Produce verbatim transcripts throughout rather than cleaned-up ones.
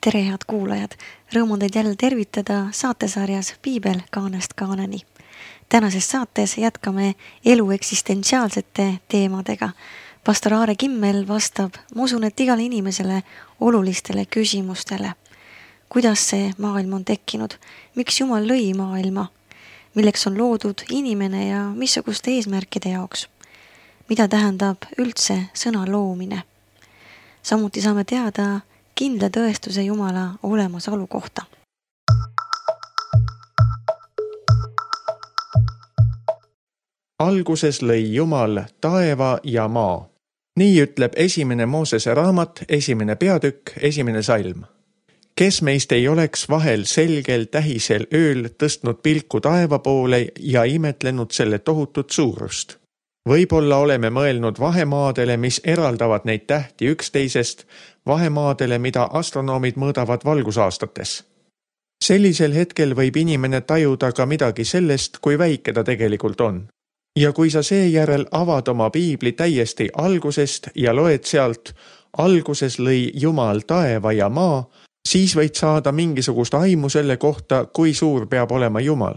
Tere head kuulajad! Rõõmu teid jälle tervitada saatesarjas Piibel kaanest kaaneni. Tänases saates jätkame elu eksistentsiaalsete teemadega. Pastor Aare Kimmel vastab, ma usun, et igale inimesele olulistele küsimustele. Kuidas see maailm on tekkinud? Miks Jumal lõi maailma? Milleks on loodud inimene ja missuguste eesmärkide jaoks? Mida tähendab üldse sõna loomine? Samuti saame teada kindla tõestuse Jumala olemasolu kohta. Alguses lõi Jumal taeva ja maa. Nii ütleb esimene Moosese raamat, esimene peatükk, esimene salm. Kes meist ei oleks vahel selgel tähisel ööl tõstnud pilku taeva poole ja imetlenud selle tohutut suurust? Võib-olla oleme mõelnud vahemaadele, mis eraldavad neid tähti üksteisest, vahemaadele, mida astronoomid mõõdavad valgusaastates. Sellisel hetkel võib inimene tajuda ka midagi sellest, kui väike ta tegelikult on. Ja kui sa seejärel avad oma piibli täiesti algusest ja loed sealt, alguses lõi Jumal taeva ja maa, siis võid saada mingisugust aimu selle kohta, kui suur peab olema Jumal.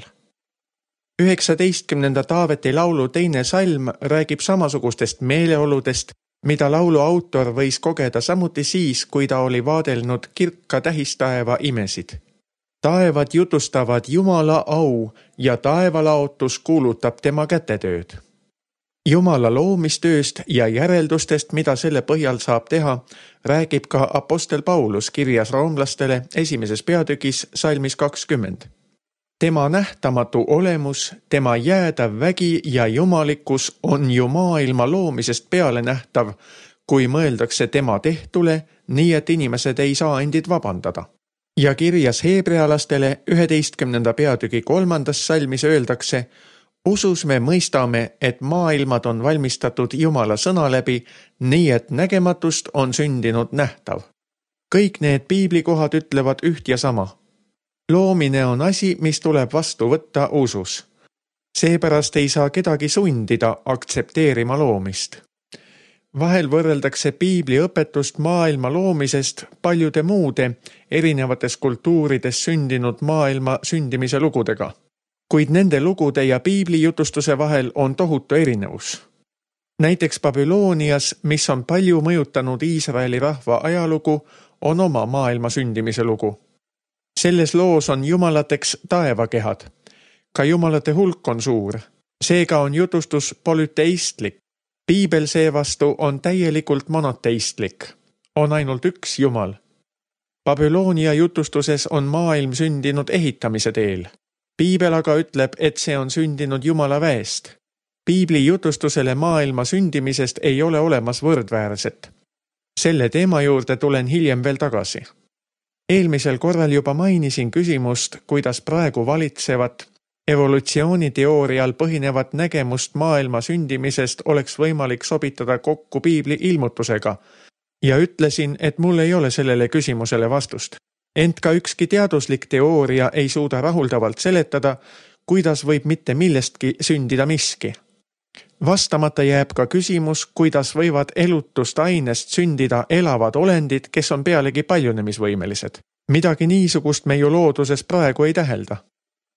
üheksateistkümnenda Taaveti laulu teine salm räägib samasugustest meeleoludest, mida laulu autor võis kogeda samuti siis, kui ta oli vaadelnud kirka tähistaeva imesid. Taevad jutustavad Jumala au ja taevalaotus kuulutab tema kätetööd. Jumala loomistööst ja järeldustest, mida selle põhjal saab teha, räägib ka apostel Paulus kirjas roomlastele esimeses peatükis salmis kakskümmend. Tema nähtamatu olemus, tema jäädav vägi ja jumalikkus on ju maailma loomisest peale nähtav, kui mõeldakse tema tehtule, nii et inimesed ei saa endid vabandada. Ja kirjas heebrealastele üheteistkümnenda peatüki kolmandas salmis öeldakse, usus me mõistame, et maailmad on valmistatud Jumala sõna läbi, nii et nägematust on sündinud nähtav. Kõik need piiblikohad ütlevad üht ja sama. Loomine on asi, mis tuleb vastu võtta usus. Seepärast ei saa kedagi sundida aktsepteerima loomist. Vahel võrreldakse piibli õpetust maailma loomisest paljude muude erinevates kultuurides sündinud maailma sündimise lugudega. Kuid nende lugude ja piibli jutustuse vahel on tohutu erinevus. Näiteks Babylonias, mis on palju mõjutanud Iisraeli rahva ajalugu, on oma maailma sündimise lugu. Selles loos on jumalateks taevakehad. Ka jumalate hulk on suur. Seega on jutustus polüteistlik. Piibel seevastu on täielikult monoteistlik. On ainult üks Jumal. Babylonia jutustuses on maailm sündinud ehitamise teel. Piibel aga ütleb, et see on sündinud Jumala väest. Piibli jutustusele maailma sündimisest ei ole olemas võrdväärset. Selle teema juurde tulen hiljem veel tagasi. Eelmisel korral juba mainisin küsimust, kuidas praegu valitsevat evolutsiooniteoorial põhinevat nägemust maailma sündimisest oleks võimalik sobitada kokku piibli ilmutusega ja ütlesin, et mul ei ole sellele küsimusele vastust. Ent ka ükski teaduslik teooria ei suuda rahuldavalt seletada, kuidas võib mitte millestki sündida miski. Vastamata jääb ka küsimus, kuidas võivad elutust ainest sündida elavad olendid, kes on pealegi paljunemisvõimelised. Midagi niisugust me ju looduses praegu ei tähelda.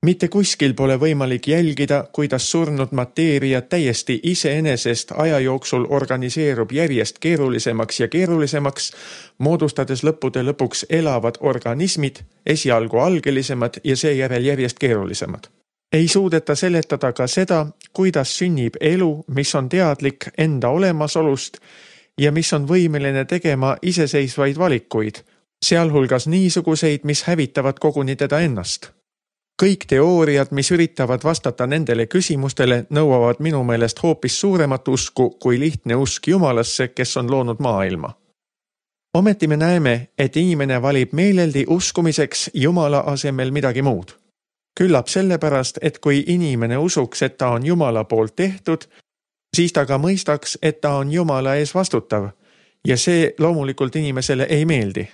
Mitte kuskil pole võimalik jälgida, kuidas surnud mateeria täiesti iseenesest aja jooksul organiseerub järjest keerulisemaks ja keerulisemaks, moodustades lõppude lõpuks elavad organismid, esialgu algelisemad ja seejärel järjest keerulisemad. Ei suudeta seletada ka seda, kuidas sünnib elu, mis on teadlik enda olemasolust ja mis on võimeline tegema iseseisvaid valikuid, sealhulgas niisuguseid, mis hävitavad koguni teda ennast. Kõik teooriad, mis üritavad vastata nendele küsimustele, nõuavad minu meelest hoopis suuremat usku kui lihtne usk Jumalasse, kes on loonud maailma. Ometi me näeme, et inimene valib meeleldi uskumiseks Jumala asemel midagi muud. Küllap sellepärast, et kui inimene usuks, et ta on Jumala poolt tehtud, siis ta ka mõistaks, et ta on Jumala ees vastutav ja see loomulikult inimesele ei meeldi.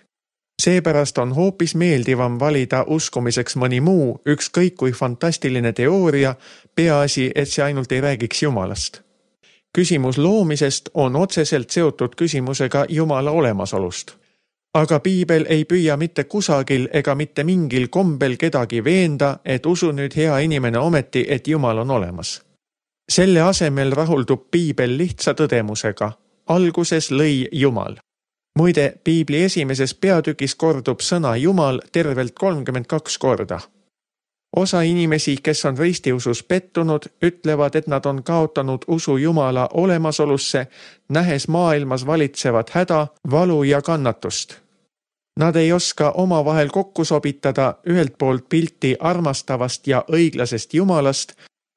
Seepärast on hoopis meeldivam valida uskumiseks mõni muu, ükskõik kui fantastiline teooria, peaasi, et see ainult ei räägiks Jumalast. Küsimus loomisest on otseselt seotud küsimusega Jumala olemasolust. Aga piibel ei püüa mitte kusagil ega mitte mingil kombel kedagi veenda, et usu nüüd hea inimene ometi, et Jumal on olemas. Selle asemel rahuldub piibel lihtsa tõdemusega. Alguses lõi Jumal. Muide, piibli esimeses peatükis kordub sõna Jumal tervelt kolmkümmend kaks korda. Osa inimesi, kes on ristiusus pettunud, ütlevad, et nad on kaotanud usu Jumala olemasolusse, nähes maailmas valitsevat häda, valu ja kannatust. Nad ei oska omavahel kokku sobitada ühelt poolt pilti armastavast ja õiglasest Jumalast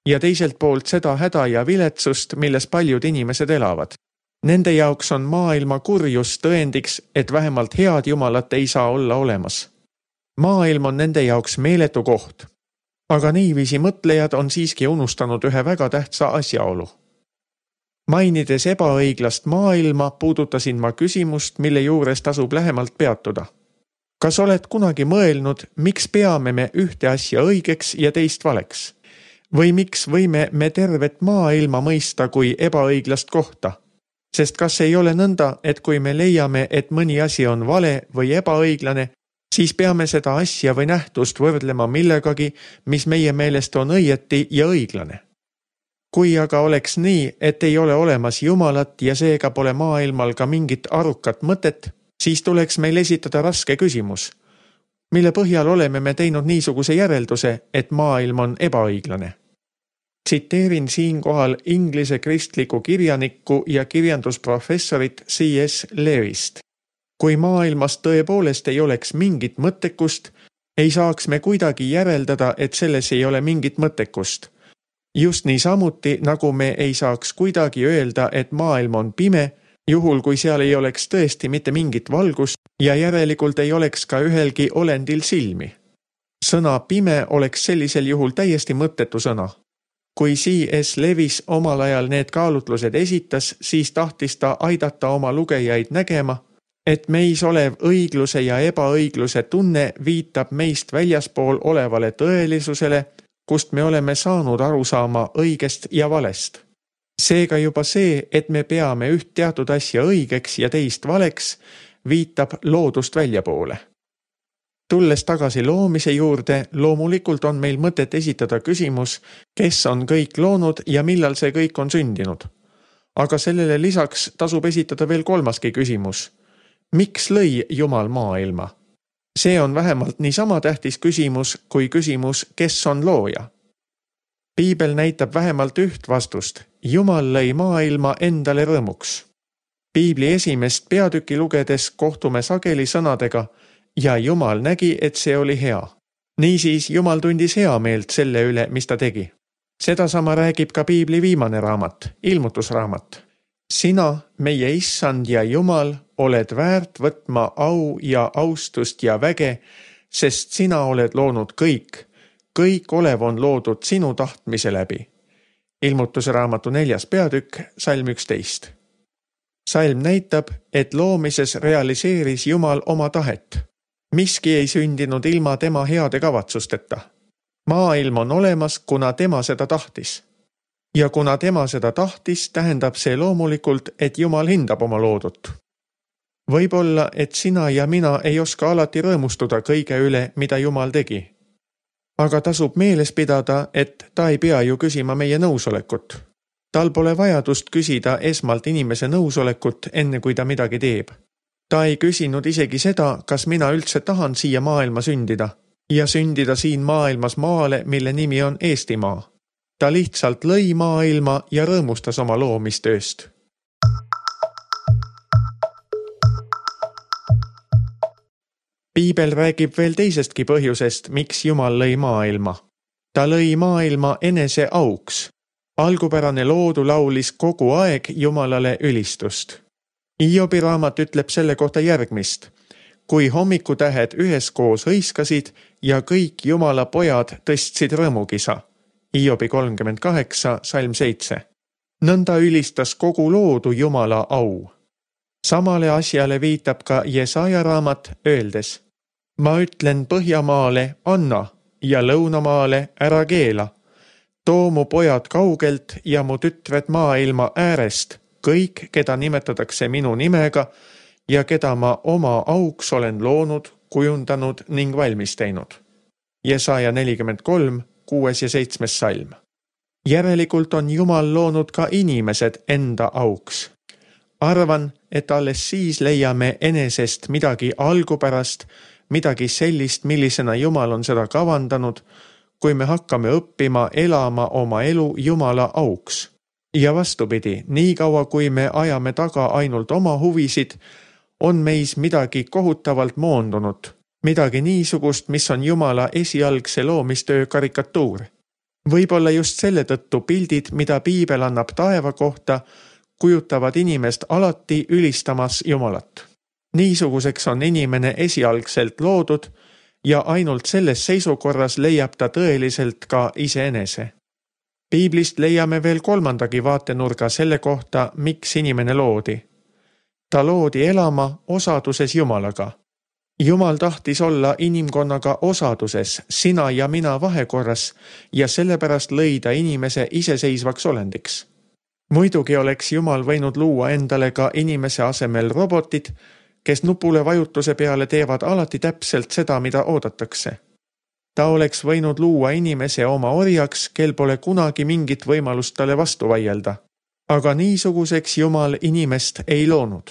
ja teiselt poolt seda häda ja viletsust, milles paljud inimesed elavad. Nende jaoks on maailma kurjus tõendiks, et vähemalt head Jumalat ei saa olla olemas. Maailm on nende jaoks meeletu koht. Aga niiviisi mõtlejad on siiski unustanud ühe väga tähtsa asjaolu. Mainides ebaõiglast maailma, puudutasin ma küsimust, mille juures tasub lähemalt peatuda. Kas oled kunagi mõelnud, miks peame me ühte asja õigeks ja teist valeks? Või miks võime me tervet maailma mõista kui ebaõiglast kohta? Sest kas ei ole nõnda, et kui me leiame, et mõni asi on vale või ebaõiglane, siis peame seda asja või nähtust võrdlema millegagi, mis meie meelest on õieti ja õiglane. Kui aga oleks nii, et ei ole olemas Jumalat ja seega pole maailmal ka mingit arukat mõtet, siis tuleks meil esitada raske küsimus, mille põhjal oleme me teinud niisuguse järelduse, et maailm on ebaõiglane. Tsiteerin siinkohal inglise kristliku kirjanikku ja kirjandusprofessorit C S Lewist. Kui maailmas tõepoolest ei oleks mingit mõttekust, ei saaks me kuidagi järeldada, et selles ei ole mingit mõttekust. Just nii samuti, nagu me ei saaks kuidagi öelda, et maailm on pime, juhul kui seal ei oleks tõesti mitte mingit valgust ja järelikult ei oleks ka ühelgi olendil silmi. Sõna pime oleks sellisel juhul täiesti mõttetu sõna. Kui C S Lewis omal ajal need kaalutlused esitas, siis tahtis ta aidata oma lugejaid nägema, et meis olev õigluse ja ebaõigluse tunne viitab meist väljaspool olevale tõelisusele, kust me oleme saanud aru saama õigest ja valest. Seega juba see, et me peame üht teatud asja õigeks ja teist valeks, viitab loodust väljapoole. Tulles tagasi loomise juurde, loomulikult on meil mõtet esitada küsimus, kes on kõik loonud ja millal see kõik on sündinud. Aga sellele lisaks tasub esitada veel kolmaski küsimus. Miks lõi Jumal maailma? See on vähemalt niisama tähtis küsimus kui küsimus, kes on looja. Piibel näitab vähemalt üht vastust. Jumal lõi maailma endale rõõmuks. Piibli esimest peatüki lugedes kohtume sageli sõnadega ja Jumal nägi, et see oli hea. Niisiis Jumal tundis hea meelt selle üle, mis ta tegi. Sedasama räägib ka Piibli viimane raamat, ilmutusraamat. Sina, meie issand ja Jumal, oled väärt võtma au ja austust ja väge, sest sina oled loonud kõik. Kõik olev on loodud sinu tahtmise läbi. Ilmutusraamatu neljas peatükk, salm üksteist. Salm näitab, et loomises realiseeris Jumal oma tahet. Miski ei sündinud ilma tema heade kavatsusteta. Maailm on olemas, kuna tema seda tahtis. Ja kuna tema seda tahtis, tähendab see loomulikult, et Jumal hindab oma loodut. Võib-olla, et sina ja mina ei oska alati rõõmustuda kõige üle, mida Jumal tegi. Aga tasub meeles pidada, et ta ei pea ju küsima meie nõusolekut. Tal pole vajadust küsida esmalt inimese nõusolekut, enne kui ta midagi teeb. Ta ei küsinud isegi seda, kas mina üldse tahan siia maailma sündida ja sündida siin maailmas maale, mille nimi on Eestimaa. Ta lihtsalt lõi maailma ja rõõmustas oma loomistööst. Piibel räägib veel teisestki põhjusest, miks Jumal lõi maailma. Ta lõi maailma enese auks. Algupärane loodu laulis kogu aeg Jumalale ülistust. Hiobi raamat ütleb selle kohta järgmist. Kui hommikutähed üheskoos hõiskasid ja kõik Jumala pojad tõstsid rõõmukisa. Hiobi kolmkümmend kaheksa, salm seitse. Nõnda ülistas kogu loodu Jumala au. Samale asjale viitab ka Jesaja raamat öeldes. Ma ütlen Põhjamaale anna ja Lõunamaale ära keela. Too mu pojad kaugelt ja mu tütred maailma äärest, kõik, keda nimetatakse minu nimega, ja keda ma oma auks olen loonud, kujundanud ning valmis teinud. Jesaja nelikümmend kolm, kuues ja seitsmes salm. Järelikult on Jumal loonud ka inimesed enda auks. Arvan, et alles siis leiame enesest midagi algupärast, midagi sellist, millisena Jumal on seda kavandanud, kui me hakkame õppima elama oma elu Jumala auks. Ja vastupidi, nii kaua kui me ajame taga ainult oma huvisid, on meis midagi kohutavalt moondunud, midagi niisugust, mis on Jumala esialgse loomistöö karikatuur. Võib-olla just selle tõttu pildid, mida Piibel annab taeva kohta, kujutavad inimest alati ülistamas Jumalat. Niisuguseks on inimene esialgselt loodud ja ainult selles seisukorras leiab ta tõeliselt ka iseenese. Piiblist leiame veel kolmandagi vaatenurga selle kohta, miks inimene loodi. Ta loodi elama osaduses Jumalaga. Jumal tahtis olla inimkonnaga osaduses, sina ja mina vahekorras ja sellepärast lõida inimese iseseisvaks olendiks. Muidugi oleks Jumal võinud luua endale ka inimese asemel robotid, kes nupule vajutuse peale teevad alati täpselt seda, mida oodatakse. Ta oleks võinud luua inimese oma orjaks, kel pole kunagi mingit võimalust talle vastu vaielda. Aga niisuguseks Jumal inimest ei loonud.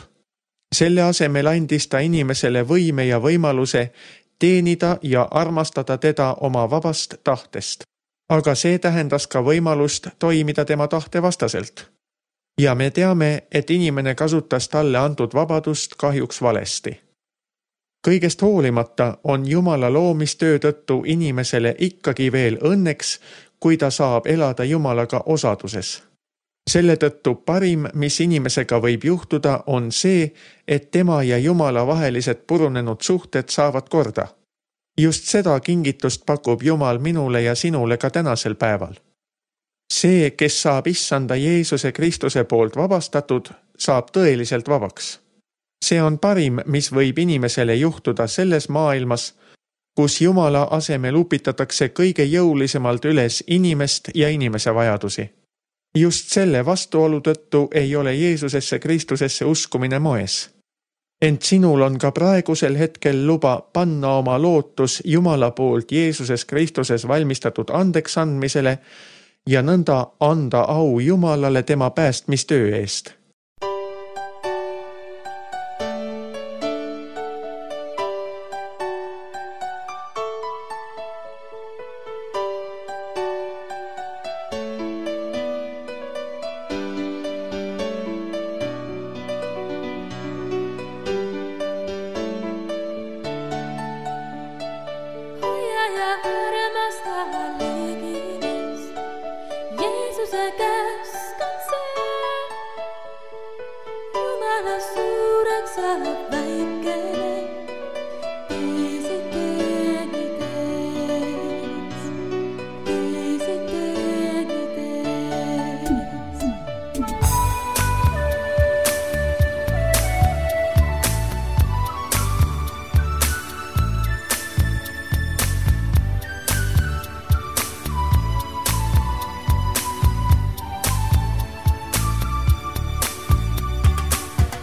Selle asemel andis ta inimesele võime ja võimaluse teenida ja armastada teda oma vabast tahtest. Aga see tähendas ka võimalust toimida tema tahte vastaselt. Ja me teame, et inimene kasutas talle antud vabadust kahjuks valesti. Kõigest hoolimata on Jumala loomistöö tõttu inimesele ikkagi veel õnneks, kui ta saab elada Jumalaga osaduses. Selle tõttu parim, mis inimesega võib juhtuda, on see, et tema ja Jumala vahelised purunenud suhted saavad korda. Just seda kingitust pakub Jumal minule ja sinule ka tänasel päeval. See, kes saab issanda Jeesuse Kristuse poolt vabastatud, saab tõeliselt vabaks. See on parim, mis võib inimesele juhtuda selles maailmas, kus Jumala asemel upitatakse kõige jõulisemalt üles inimest ja inimese vajadusi. Just selle vastuolu tõttu ei ole Jeesusesse Kristusesse uskumine moes. Ent sinul on ka praegusel hetkel luba panna oma lootus Jumala poolt Jeesuses Kristuses valmistatud andeks andmisele ja nõnda anda au Jumalale tema päästmistöö eest.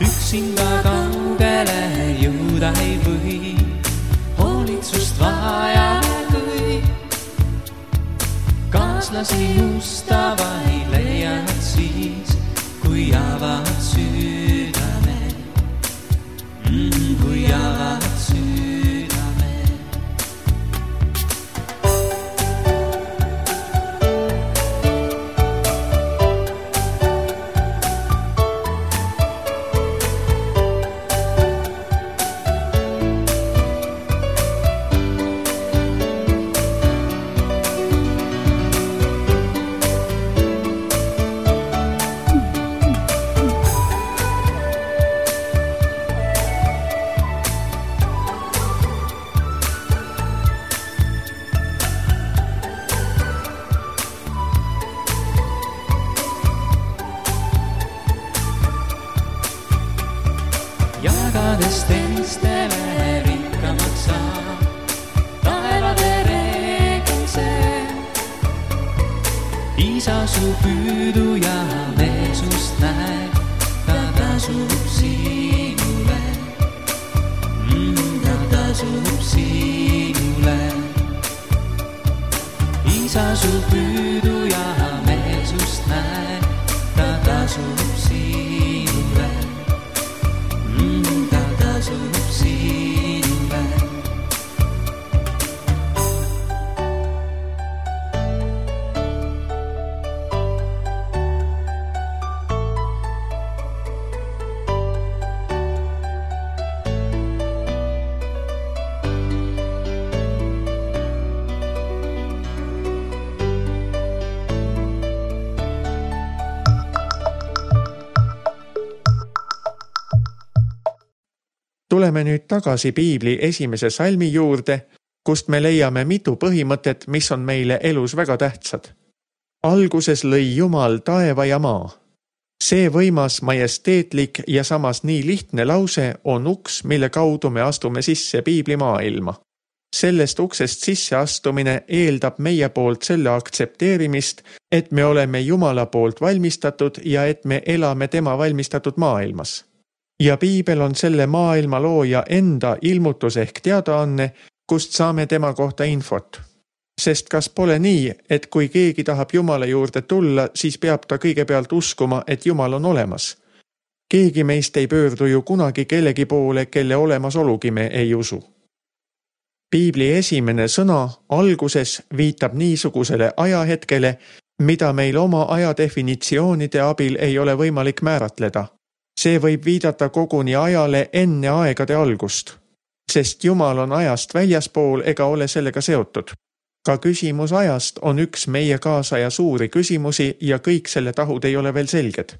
Üksinda kaugele jõuda ei või, hoolitsust vaja kõik. Kaaslasi mustava ei leiad siis, kui avad südame, mm, kui avad südame. Jagades teistele rikkamaks saab, taevade reegel see. Isa su püüdu ja meelsust näeb, ta tasub sinule. su püüdu ja meelsust näe, ta tasub sinule, mm, ta tasub sinule. Tuleme nüüd tagasi Piibli esimese salmi juurde, kust me leiame mitu põhimõtet, mis on meile elus väga tähtsad. Alguses lõi Jumal taeva ja maa. See võimas, majesteetlik ja samas nii lihtne lause on uks, mille kaudu me astume sisse Piibli maailma. Sellest uksest sisse astumine eeldab meie poolt selle aktsepteerimist, et me oleme Jumala poolt valmistatud ja et me elame tema valmistatud maailmas. Ja Piibel on selle maailma looja enda ilmutus ehk teadaanne, kust saame tema kohta infot. Sest kas pole nii, et kui keegi tahab Jumala juurde tulla, siis peab ta kõigepealt uskuma, et Jumal on olemas. Keegi meist ei pöördu ju kunagi kellegi poole, kelle olemasolugi me ei usu. Piibli esimene sõna alguses viitab niisugusele ajahetkele, mida meil oma ajadefinitsioonide abil ei ole võimalik määratleda. See võib viidata koguni ajale enne aegade algust, sest Jumal on ajast väljaspool ega ole sellega seotud. Ka küsimus ajast on üks meie kaasaja suuri küsimusi ja kõik selle tahud ei ole veel selged.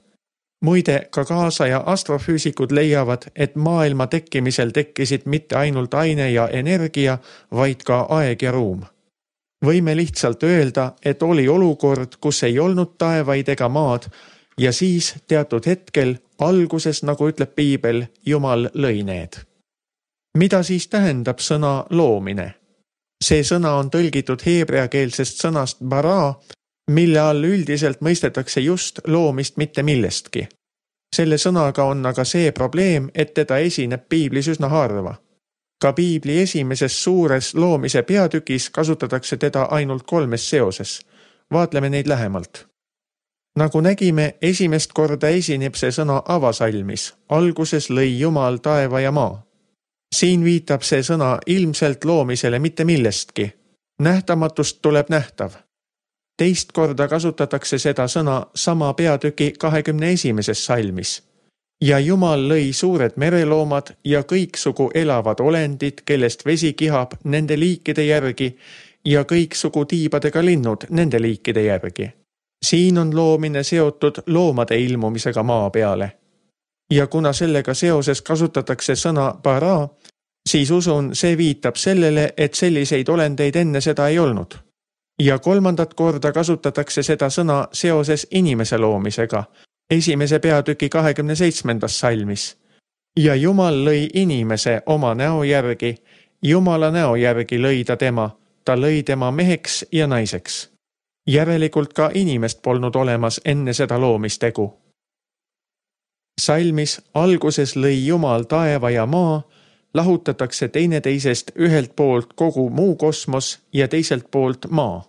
Muide, ka kaasaja astrofüüsikud leiavad, et maailma tekkimisel tekkisid mitte ainult aine ja energia, vaid ka aeg ja ruum. Võime lihtsalt öelda, et oli olukord, kus ei olnud taevaid ega maad, ja siis teatud hetkel, alguses, nagu ütleb Piibel, Jumal lõi need. Mida siis tähendab sõna loomine? See sõna on tõlgitud heebreakeelsest sõnast bara, mille all üldiselt mõistetakse just loomist mitte millestki. Selle sõnaga on aga see probleem, et teda esineb Piiblis üsna harva. Ka Piibli esimeses suures loomise peatükis kasutatakse teda ainult kolmes seoses. Vaatleme neid lähemalt. Nagu nägime, esimest korda esineb see sõna avasalmis. Alguses lõi Jumal taeva ja maa. Siin viitab see sõna ilmselt loomisele mitte millestki. Nähtamatust tuleb nähtav. Teist korda kasutatakse seda sõna sama peatüki kahekümne esimeses salmis. Ja Jumal lõi suured mereloomad ja kõiksugu elavad olendid, kellest vesi kihab nende liikide järgi ja kõiksugu tiibadega linnud nende liikide järgi. Siin on loomine seotud loomade ilmumisega maa peale. Ja kuna sellega seoses kasutatakse sõna bara, siis usun, see viitab sellele, et selliseid olendeid enne seda ei olnud. Ja kolmandat korda kasutatakse seda sõna seoses inimese loomisega, esimese peatüki kahekümne seitsmendas salmis. Ja Jumal lõi inimese oma näo järgi, Jumala näo järgi lõi ta tema, ta lõi tema meheks ja naiseks. Järelikult ka inimest polnud olemas enne seda loomistegu. Salmis alguses lõi Jumal taeva ja maa, lahutatakse teineteisest ühelt poolt kogu muu kosmos ja teiselt poolt maa.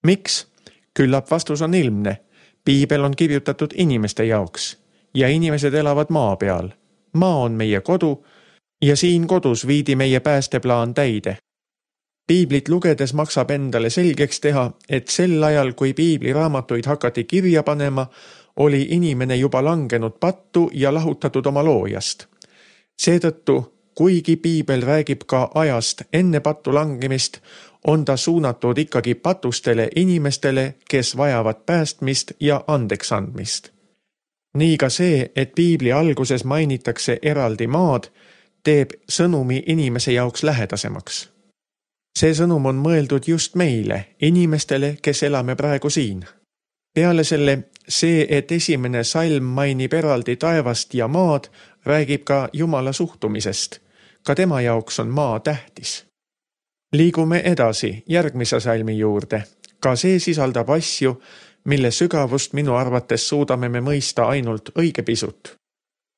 Miks? Küllap vastus on ilmne. Piibel on kirjutatud inimeste jaoks ja inimesed elavad maa peal. Maa on meie kodu ja siin kodus viidi meie päästeplaan täide. Piiblit lugedes maksab endale selgeks teha, et sel ajal, kui Piibli raamatuid hakati kirja panema, oli inimene juba langenud pattu ja lahutatud oma loojast. Seetõttu, kuigi Piibel räägib ka ajast enne pattu langemist, on ta suunatud ikkagi patustele inimestele, kes vajavad päästmist ja andeks andmist. Nii ka see, et Piibli alguses mainitakse eraldi maad, teeb sõnumi inimese jaoks lähedasemaks. See sõnum on mõeldud just meile, inimestele, kes elame praegu siin. Peale selle, see, et esimene salm mainib eraldi taevast ja maad, räägib ka Jumala suhtumisest. Ka tema jaoks on maa tähtis. Liigume edasi järgmise salmi juurde. Ka see sisaldab asju, mille sügavust minu arvates suudame me mõista ainult õige pisut.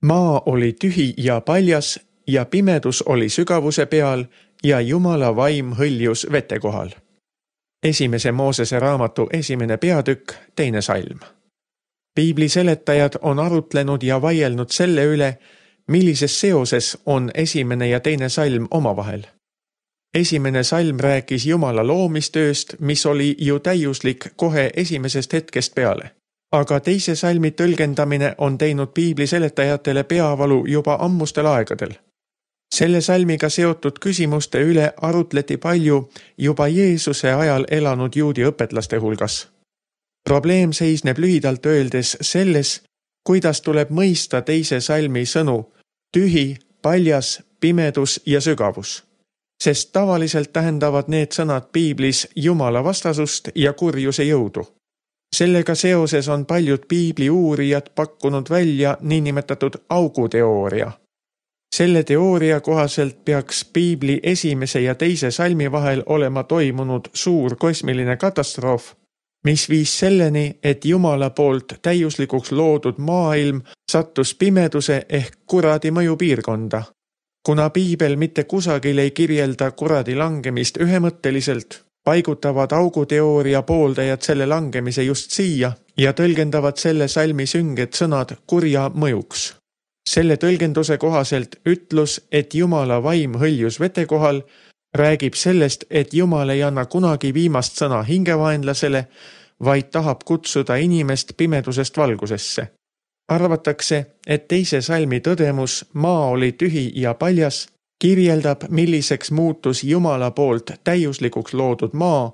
Maa oli tühi ja paljas ja pimedus oli sügavuse peal ja Jumala vaim hõljus vete kohal. esimese Moosese raamatu esimene peatükk, teine salm. Piibli seletajad on arutlenud ja vaielnud selle üle, millises seoses on esimene ja teine salm omavahel. Esimene salm rääkis Jumala loomistööst, mis oli ju täiuslik kohe esimesest hetkest peale. Aga teise salmi tõlgendamine on teinud piibli seletajatele peavalu juba ammustel aegadel. Selle salmiga seotud küsimuste üle arutleti palju juba Jeesuse ajal elanud juudi õpetlaste hulgas. Probleem seisneb lühidalt öeldes selles, kuidas tuleb mõista teise salmi sõnu tühi, paljas, pimedus ja sügavus. Sest tavaliselt tähendavad need sõnad piiblis Jumala vastasust ja kurjuse jõudu. Sellega seoses on paljud piibli uurijad pakkunud välja niinimetatud auguteooria. Selle teooria kohaselt peaks piibli esimese ja teise salmi vahel olema toimunud suur kosmiline katastroof, mis viis selleni, et Jumala poolt täiuslikuks loodud maailm sattus pimeduse ehk kuradi mõjupiirkonda. Kuna piibel mitte kusagil ei kirjelda kuradi langemist ühemõtteliselt, paigutavad auguteooria pooldajad selle langemise just siia ja tõlgendavad selle salmi sünged sõnad kurja mõjuks. Selle tõlgenduse kohaselt ütlus, et Jumala vaim hõljus vete kohal, räägib sellest, et Jumal ei anna kunagi viimast sõna hingevaenlasele, vaid tahab kutsuda inimest pimedusest valgusesse. Arvatakse, et teise salmi tõdemus maa oli tühi ja paljas, kirjeldab, milliseks muutus Jumala poolt täiuslikuks loodud maa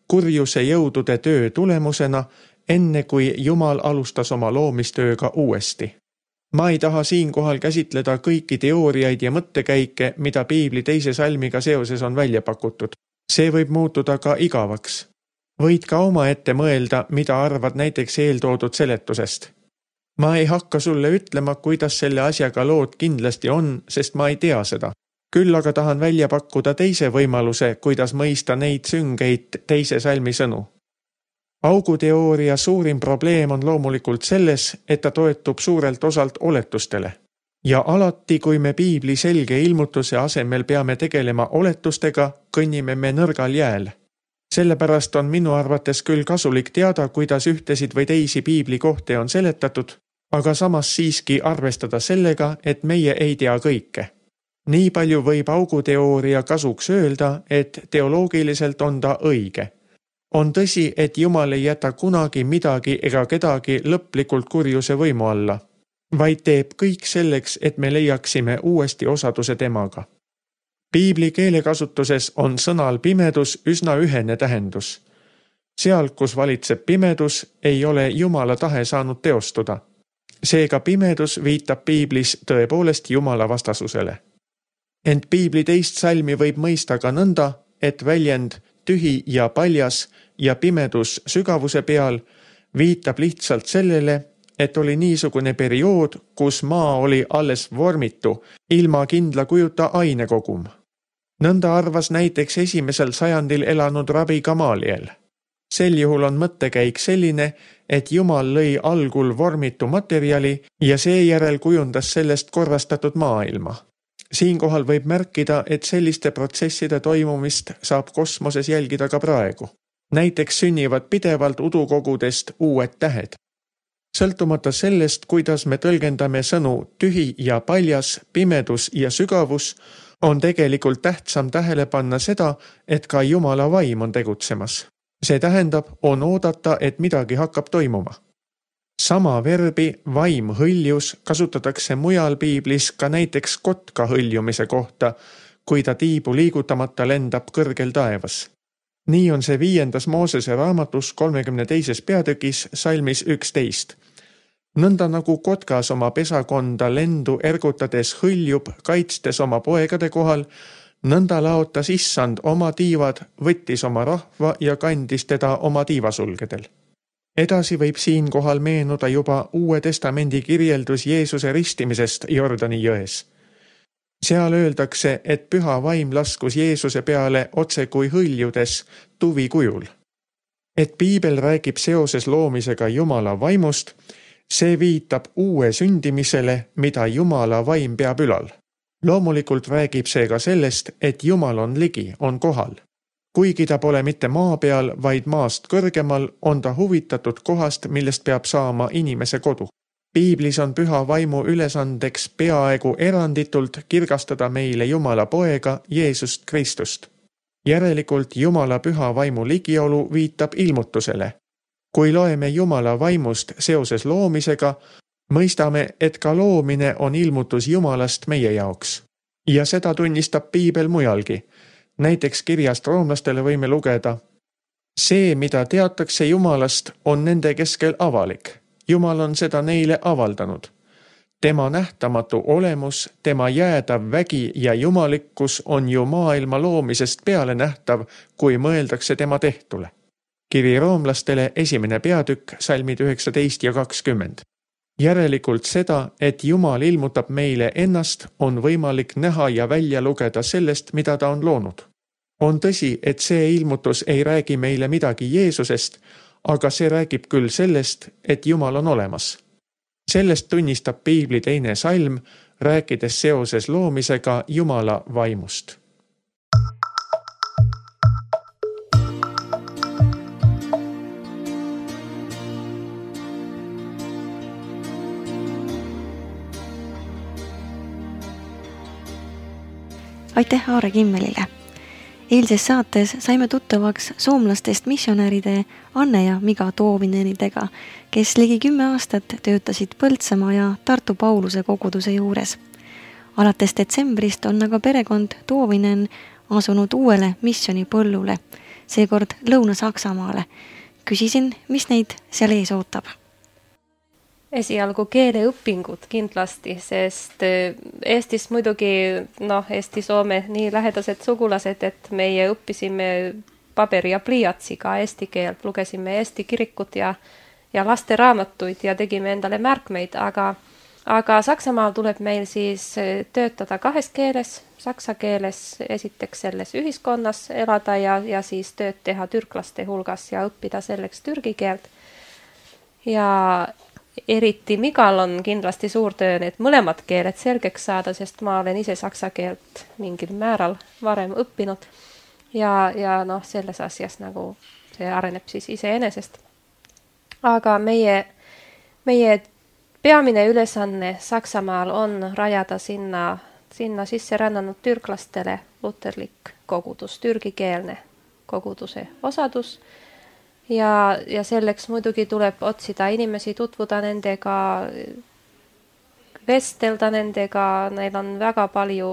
kurjuse jõudude töö tulemusena, enne kui Jumal alustas oma loomistööga uuesti. Ma ei taha siinkohal käsitleda kõiki teooriaid ja mõttekäike, mida piibli teise salmiga seoses on välja pakutud. See võib muutuda ka igavaks. Võid ka oma ette mõelda, mida arvad näiteks eeltoodud seletusest. Ma ei hakka sulle ütlema, kuidas selle asjaga lood kindlasti on, sest ma ei tea seda. Küll aga tahan välja pakkuda teise võimaluse, kuidas mõista neid süngeid teise salmi sõnu. Auguteooria suurim probleem on loomulikult selles, et ta toetub suurelt osalt oletustele. Ja alati, kui me piibli selge ilmutuse asemel peame tegelema oletustega, kõnnime me nõrgal jääl. Sellepärast on minu arvates küll kasulik teada, kuidas ühtesid või teisi piibli kohti on seletatud, aga samas siiski arvestada sellega, et meie ei tea kõike. Nii palju võib auguteooria kasuks öelda, et teoloogiliselt on ta õige. On tõsi, et Jumal ei jäta kunagi midagi ega kedagi lõplikult kurjuse võimu alla, vaid teeb kõik selleks, et me leiaksime uuesti osaduse temaga. Piibli keelekasutuses on sõnal pimedus üsna ühene tähendus. Seal, kus valitseb pimedus, ei ole Jumala tahe saanud teostuda. Seega pimedus viitab piiblis tõepoolest Jumala vastasusele. Ent piibli teist salmi võib mõista ka nõnda, et väljend tühi ja paljas ja pimedus sügavuse peal viitab lihtsalt sellele, et oli niisugune periood, kus maa oli alles vormitu, ilma kindla kujuta ainekogum. Nõnda arvas näiteks esimesel sajandil elanud rabi Gamaliel. Sel juhul on mõttekäik selline, et Jumal lõi algul vormitu materjali ja seejärel kujundas sellest korrastatud maailma. Siinkohal võib märkida, et selliste protsesside toimumist saab kosmoses jälgida ka praegu. Näiteks sünnivad pidevalt udukogudest uued tähed. Sõltumata sellest, kuidas me tõlgendame sõnu tühi ja paljas, pimedus ja sügavus, on tegelikult tähtsam tähele panna seda, et ka Jumala vaim on tegutsemas. See tähendab, on oodata, et midagi hakkab toimuma. Sama verbi vaim hõljus kasutatakse mujal piiblis ka näiteks kotka hõljumise kohta, kui ta tiibu liigutamata lendab kõrgel taevas. Nii on see viiendas Moosese raamatus kolmekümne teises peatükis salmis üksteist. Nõnda nagu kotkas oma pesakonda lendu ergutades hõljub, kaitstes oma poegade kohal, nõnda laotas issand oma tiivad, võttis oma rahva ja kandis teda oma tiivasulgedel. Edasi võib siinkohal meenuda juba Uue Testamendi kirjeldus Jeesuse ristimisest Jordani jões. Seal öeldakse, et püha vaim laskus Jeesuse peale otse kui hõljudes tuvi kujul. Et piibel räägib seoses loomisega Jumala vaimust, see viitab uue sündimisele, mida Jumala vaim peab ülal. Loomulikult räägib see ka sellest, et Jumal on ligi, on kohal. Kuigi ta pole mitte maa peal, vaid maast kõrgemal, on ta huvitatud kohast, millest peab saama inimese kodu. Piiblis on püha vaimu ülesandeks peaaegu eranditult kirgastada meile Jumala poega Jeesust Kristust. Järelikult Jumala püha vaimu ligiolu viitab ilmutusele. Kui loeme Jumala vaimust seoses loomisega, mõistame, et ka loomine on ilmutus Jumalast meie jaoks. Ja seda tunnistab Piibel mujalgi. Näiteks kirjast roomlastele võime lugeda: see, mida teatakse Jumalast, on nende keskel avalik. Jumal on seda neile avaldanud. Tema nähtamatu olemus, tema jäädav vägi ja jumalikkus on ju maailma loomisest peale nähtav, kui mõeldakse tema tehtule. Kiri roomlastele esimene peatükk, salmid üheksateist ja kakskümmend. Järelikult seda, et Jumal ilmutab meile ennast, on võimalik näha ja välja lugeda sellest, mida ta on loonud. On tõsi, et see ilmutus ei räägi meile midagi Jeesusest, aga see räägib küll sellest, et Jumal on olemas. Sellest tunnistab Piibli teine salm, rääkides seoses loomisega Jumala vaimust. Aitäh Aare Kimmelile! Eilses saates saime tuttavaks soomlastest missionäride Anne ja Miga Toovinenidega, kes ligi kümme aastat töötasid Põltsamaa ja Tartu Pauluse koguduse juures. Alates detsembrist on aga perekond Toovinen asunud uuele missionipõllule, seekord Lõuna-Saksamaale. Küsisin, mis neid seal ees ootab. Esialgu keeleõpingud kindlasti, sest Eestis muidugi, noh, Eesti-Soome nii lähedased sugulased, et meie õppisime paberi ja pliiatsiga eesti keelt, lugesime Eesti kirikut ja, ja laste raamatuid ja tegime endale märkmeid, aga, aga Saksamaal tuleb meil siis töötada kahes keeles, saksa keeles esiteks selles ühiskonnas elada ja, ja siis tööd teha türklaste hulgas ja õppida selleks türgi keelt. Ja eriti Migal on kindlasti suur töö need mõlemad keeled selgeks saada, sest ma olen ise saksa keelt mingil määral varem õppinud ja, ja noh, selles asjas nagu see areneb siis iseenesest. Aga meie, meie peamine ülesanne Saksamaal on rajada sinna, sinna sisse rännanud türklastele luterlik kogudus, türgikeelne koguduse osadus. Ja, ja selleks muidugi tuleb otsida inimesi, tutvuda nendega, vestelda nendega, neil on väga palju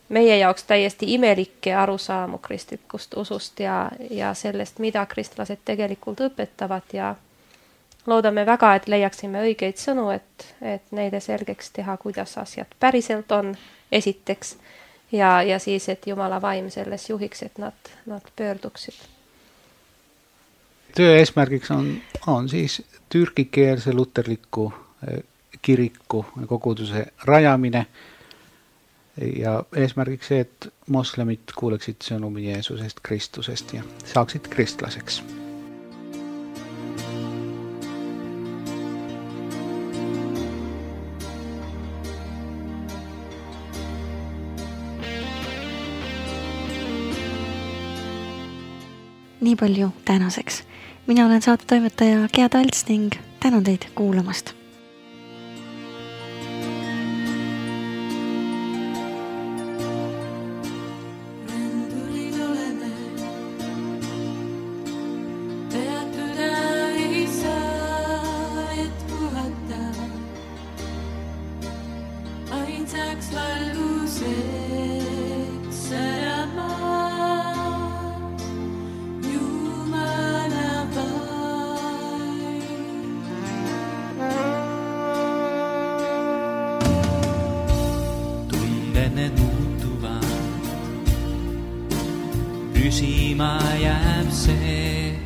meie jaoks täiesti imelikke arusaamu kristlikust usust ja, ja sellest, mida kristlased tegelikult õpetavad ja loodame väga, et leiaksime õigeid sõnu, et, et neile selgeks teha, kuidas asjad päriselt on esiteks ja, ja siis, et Jumala vaim selles juhiks, et nad, nad pöörduksid. Töö eesmärgiks on, on siis türgikeelse luterliku kiriku koguduse rajamine ja eesmärgiks see, et moslemid kuuleksid sõnumi Jeesusest Kristusest ja saaksid kristlaseks. Nii palju tänaseks. Mina olen saatetoimetaja Gea Talts ning tänan teid kuulamast. Püsima jääb see,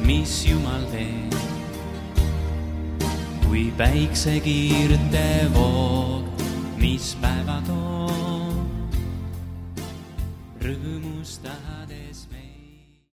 mis Jumal teeb, kui päiksekiirte voog, mis päeva toob, rõõmustab.